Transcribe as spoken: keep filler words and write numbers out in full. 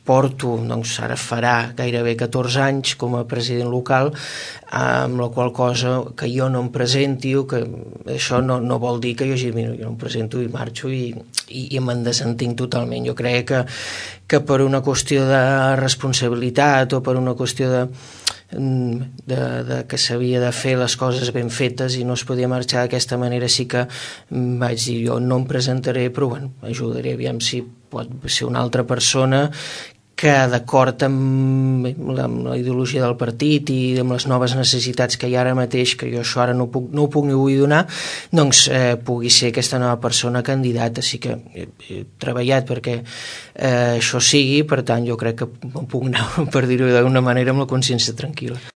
porto, doncs ara farà gairebé catorze anys com a president local, amb la qual cosa que jo no em presenti o que això no, no vol dir que jo, jo no em presento i marxo i, i, i me'n desentinc totalment. Jo crec que, que per una qüestió de responsabilitat o per una qüestió de De, de que s'havia de fer les coses ben fetes i no es podia marxar d'aquesta manera, sí que vaig dir jo no em presentaré, però bueno, ajudaré, aviam si pot ser una altra persona que d'acord amb la, amb la ideologia del partit i amb les noves necessitats que hi ha ara mateix, que jo això ara no, puc, no ho puc ni vull donar, doncs eh, pugui ser aquesta nova persona candidata. Així que he, he treballat perquè eh, això sigui, per tant jo crec que em puc anar, per dir-ho d'alguna manera, amb la consciència tranquil·la.